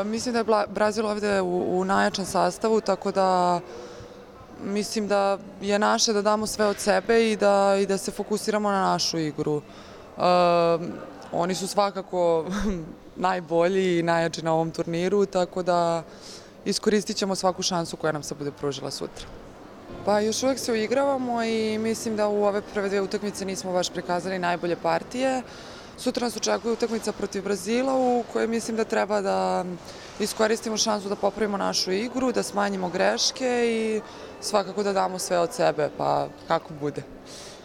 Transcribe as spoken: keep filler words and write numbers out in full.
Mislim da je Brazil ovde u najjačem sastavu, tako da mislim da je naše da damo sve od sebe i da, i da se fokusiramo na našu igru. Oni su svakako najbolji i najjači na ovom turniru, tako da iskoristit ćemo svaku šansu koja nam se bude pružila sutra. Pa još uvek se uigravamo i mislim da u ove prve dve utakmice nismo baš prikazali najbolje partije. Sutra nas očekuje utakmica protiv Brazila u kojoj mislim da treba da iskoristimo šansu da popravimo našu igru, da smanjimo greške i svakako da damo sve od sebe, pa kako bude.